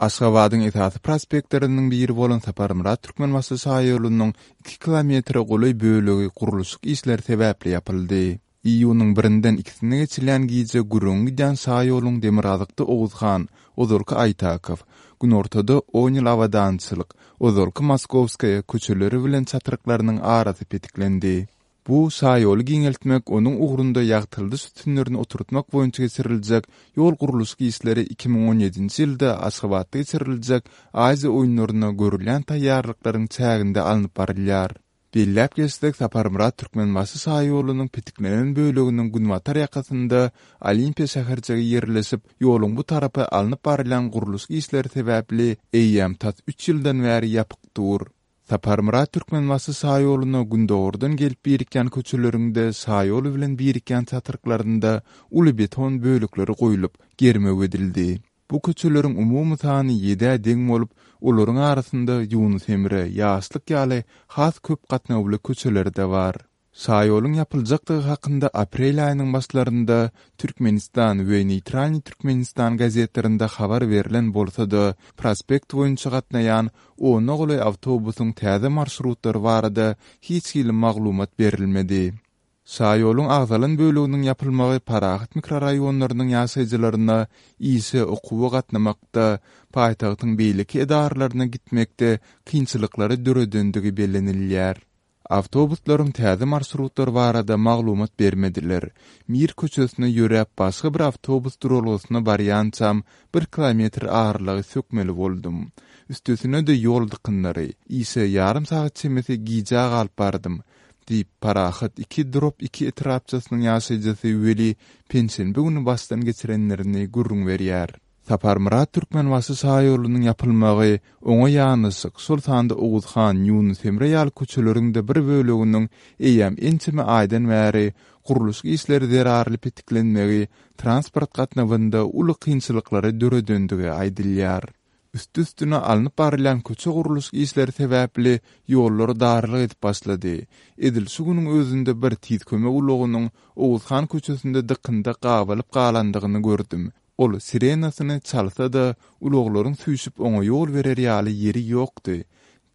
Aşgabadyň esasy prospektleriniň biri bolan Saparmyrat Türkmenbaşy şaýolunyň iki kilometre golaý bölegi gurluşyk işleri sebäpli ýapyldy. Iýunyň birinden ikisine geçilýän gije gürrüňi gidýän şaýoluň demirgazykda Oguzhan, ozalky Aýtakow, günortada On ýyl abadançylyk, ozalky Moskowskaýa köçeleri bilen çatryklarynyň arasy petiklendi. Bu şaýoly giňeltmek, onuň ugrunda ýagtyldyş sütünlerini oturtmak boýunça geçiriljek ýol gurluşyk işleri 2017-nji ýylda Aşgabatda geçiriljek Aziýa oýunlaryna görülýän taýýarlyklaryň çäginde alnyp barylýar. Belläp geçsek, Saparmyrat Türkmenbaşy şaýolunyň petiklenen böleginiň günbatar ýakasynda Olimpiýa şäherjigi ýerleşip, ýoluň bu tarapy alnyp barylýan gurluşyk işleri sebäpli eýýäm tas üç ýyldan bäri ýapyk dur. Saparmyrat Türkmenbaşy şaýoluna gündogardan gelip birikýän köçeleriň-de şaýol bilen birikýän çatryklarynda uly beton bölekleri goýlup, germew edildi. Bu köçeleriň umumy sany ýedä deň bolup, olaryň arasynda Ýunus Emre, Ýaşlyk ýaly has köp gatnawly köçeleri-de bar. Şaýoluň ýapyljakdygy hakynda aprel aýynyň başlarynda Türkmenistan we Neýtralnyý Türkmenistan gazetlerinde habar berlen bolsa-da, prospekt boýunça gatnaýan ona golaý awtobusyň täze marşrutlary barada hiç hili maglumat berilmedi. Şaýoluň agzalan böleginiň ýapylmagy Parahat mikroraýonlarynyň ýaşaýjylaryna işe, okuwa gatnamakda, paýtagtyň beýleki edaralaryna gitmekde kynçylyklary döredendigi bellenilýär. Awtobuslaryň täze marşrutlary barada maglumat bermediler. Mir köçesine ýöräp başga bir awtobus duralgasyna barýançam bir kilometr aralygy sökmeli boldum. Üstesine-de ýol dykynlary. Işe ýarym sagat çemesi gijä galyp bardym. Diýip, Parahat iki drop iki etrapçasynyň ýaşaýjysy Weli penşenbe güni başdan geçirenlerini gürrüň berýär. Saparmyrat Türkmenbaşy şaýolunyň ýapylmagy, oňa ýanaşyk, şol sanda Oguzhan, Ýunus Emre ýaly köçeleriň-de bir böleginiň eýýäm ençeme aýdan bäri gurluşyk işleri zerarly petiklenmegi transport gatnawynda uly kynçylyklary döredendigi aýdylýar. Üsti-üstüne alnyp barylýan köçe gurluşyk işleri sebäpli ýollar darlyk edip başlady. Edil şu günüň özünde bir tiz kömek ulagynyň Oguzhan köçesinde dykynda gabalyp galandygyny gördüm. Ol sirenasyny çalsa-da, ulaglaryň süýşüp oňa ýol berer ýaly ýeri ýokdy,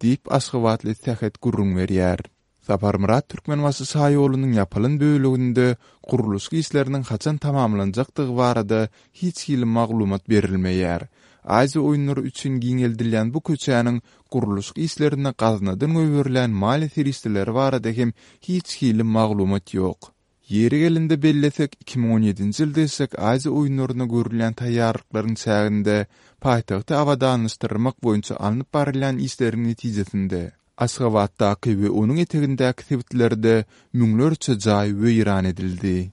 diýip, aşgabatly Sähet gürrüň berýär. Saparmyrat Türkmenbaşy şaýolunyň ýapylan böleginde gurluşyk işleriniň haçan tamamlanjakdygy barada hiç hili maglumat berilmeýär. Aziýa oýunlary üçin giňeldilýän bu köçäniň gurluşyk işlerine gaznadan goýberilýän maliýe serişdeleri barada hem hiç hili maglumat ýok. Ýeri gelende bellesek, 2017-nji ýylda geçjek Aziýa oýunlaryna görülýän taýýarlyklaryň çäginde paýtagty abadanlaşdyrmak boýunça alnyp barylýan işleriň netijesinde, Aşgabatdaky we onuň etegindäki sebitlerde müňlerçe jaý weýran edildi.